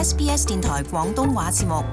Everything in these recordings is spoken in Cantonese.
SBS 電台廣東話節目。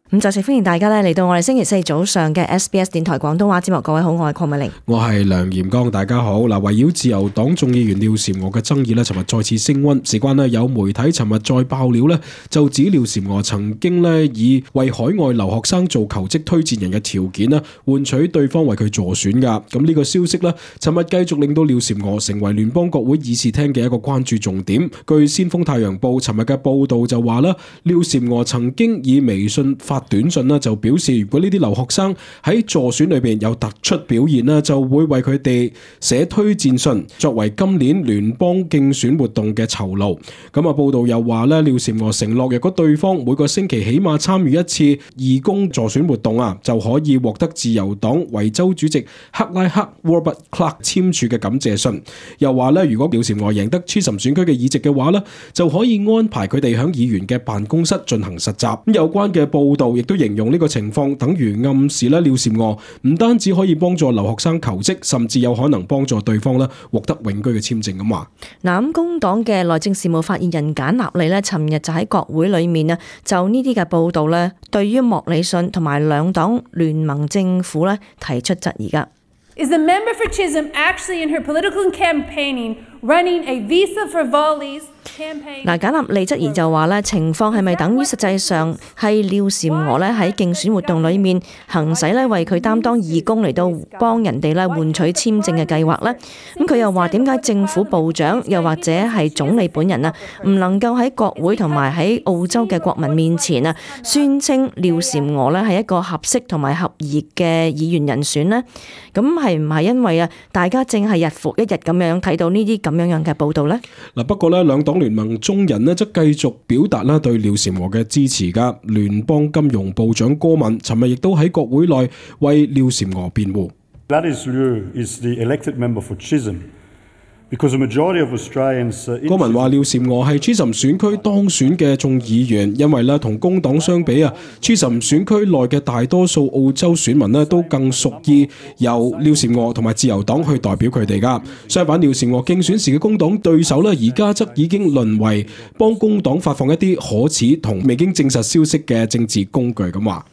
咁再次歡迎大家嚟到我哋星期四早上嘅 SBS 電台廣東話節目。各位好，我係鄺美玲，我係梁炎剛，大家好。圍繞自由黨眾議員廖嬋娥嘅爭議尋日再次升溫。事關有媒體尋日再爆料就指廖嬋娥曾經以為海外留學生做求職推薦人嘅條件換取對方為佢助選噶。咁呢個消息尋日繼續令到廖嬋娥成為聯邦國會議事廳嘅一個關注重點。據先鋒太陽報尋日嘅報道就話廖嬋娥曾經以微信發短信就表示，如果呢啲留學生喺助選裏邊有突出表現就會為佢哋寫推薦信，作為今年聯邦競選活動嘅酬勞。咁報道又話廖嬋娥承諾，如果對方每個星期起碼參與一次義工助選活動就可以獲得自由黨維州主席克拉克 Robert Clark 簽署嘅感謝信。又話如果廖嬋娥贏得 Chisholm 選區嘅議席嘅話就可以安排佢哋響議員嘅辦公室進行實習。有關嘅報道亦都形容呢個情況等於暗示廖嬋娥唔單止可以幫助留學生求職，甚至有可能幫助對方獲得永居嘅簽證咁話。咁工黨嘅內政事務發言人簡納利尋日就喺國會裏面就呢啲嘅報道對於莫里遜同埋兩黨聯盟政府提出質疑噶。Is the member for Chisholm actually in her political campaigning running a visa for volleys campaign？ 簡納利質疑就話情況係咪等於實際上係廖嬋娥喺競選活動裏面行使為佢擔當義工嚟到幫人哋換取簽證嘅計劃呢？咁佢又話點解政府部長又或者係總理本人唔能夠喺國會同埋喺澳洲嘅國民面前宣稱廖嬋娥係一個合適同埋合宜嘅議員人選呢？咁係唔係因為大家正係日復一日咁樣睇到呢啲咁樣嘅報道呢？不過兩黨聯盟中人則繼續表達對廖嬋娥嘅支持噶。聯邦金融部長戈文尋日亦都喺國會內為廖嬋娥辯護。Gladys Liu is the elected member for Chisholm. Because the majority of Australians 戈文話廖嬋娥係 Chisholm 選區當選嘅眾議員，因為同工黨相比Chisholm 選區內嘅大多數澳洲選民都更屬意由廖嬋娥同埋自由黨去代表佢哋噶。相反，廖嬋娥競選時嘅工黨對手而家則已經淪為幫工黨發放一啲可恥同未經證實消息嘅政治工具咁話。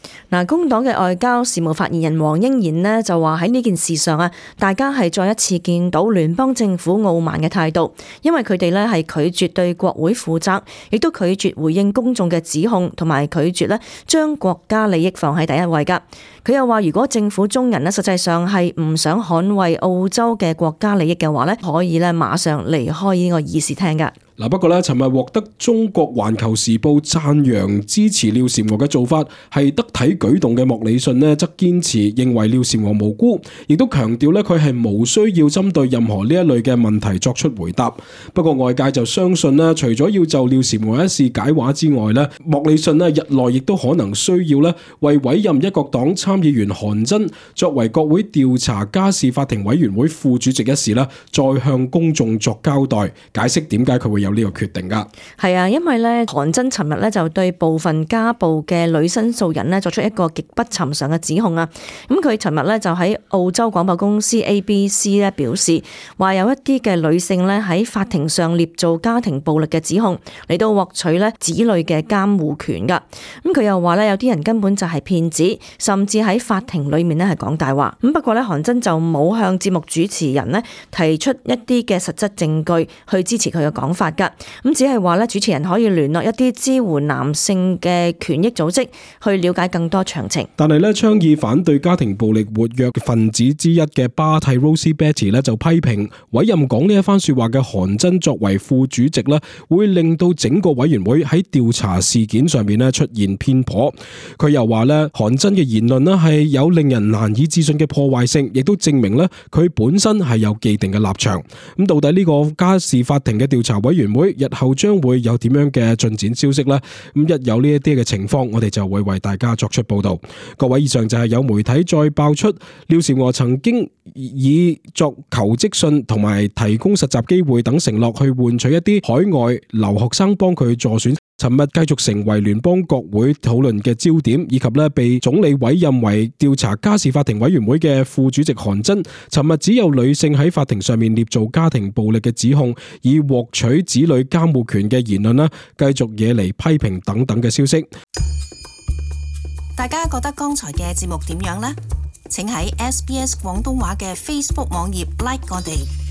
工黨嘅外交事務發言人黃英賢就話喺呢件事上大家係再一次見到聯邦政府傲慢嘅態度，因為佢哋係拒絕對國會負責，亦都拒絕回應公眾嘅指控，同埋拒絕將國家利益放喺第一位噶。佢又話如果政府中人實際上係唔想捍衛澳洲嘅國家利益嘅話可以馬上離開呢個議事廳噶。不過尋日獲得中國環球時報讚揚支持廖嬋娥嘅做法係得體舉動嘅莫里遜則堅持認為廖嬋娥無辜，亦都強調佢係無需要針對任何呢一類嘅問題作出回答。不過外界就相信除咗要就廖嬋娥一事解話之外莫里遜日內亦都可能需要為委任一國黨參議員韓真作為國會調查家事法庭委員會副主席一事再向公眾作交代，解釋點解佢會有呢個決定噶。係啊，因為韓真尋日就對部分家暴嘅女申訴人作出一個極不尋常嘅指控啊。咁佢尋日就喺澳洲廣播公司 ABC 表示，話有一啲嘅女性喺法庭上捏造家庭暴力嘅指控嚟到獲取子女嘅監護權噶。咁佢又話有啲人根本就係騙子，甚至喺法庭裏面係講大話。咁不過韓真就冇向節目主持人提出一啲嘅實質證據去支持佢嘅講法。咁只係話主持人可以聯絡一啲支援男性嘅權益組織去了解更多詳情。但係倡議反對家庭暴力活躍分子之一嘅巴蒂 Rosie Betty 就批評委任講呢一番說話嘅韓真作為副主席會令到整個委員會喺調查事件上面出現偏頗。佢又話韓真嘅言論係有令人難以置信嘅破壞性，亦都證明佢本身係有既定嘅立場。咁到底呢個家事法庭嘅調查委員會日後將會有點樣嘅進展消息呢？咁一有呢一啲嘅情況，我哋就會為大家作出報道。各位，以上就係有媒體再爆出廖嬋娥曾經以作求職信同埋提供實習機會等承諾去換取一啲海外留學生幫佢助選尋日繼續成為聯邦國會討論嘅焦點，以及咧被總理委任為調查家事法庭委員會嘅副主席韓珍，尋日只有女性喺法庭上面捏造家庭暴力嘅指控，以獲取子女監護權嘅言論啦，繼續惹嚟批評等等嘅消息。大家覺得剛才嘅節目點樣呢？請喺SBS 廣東話嘅 Facebook 網頁 like 我哋。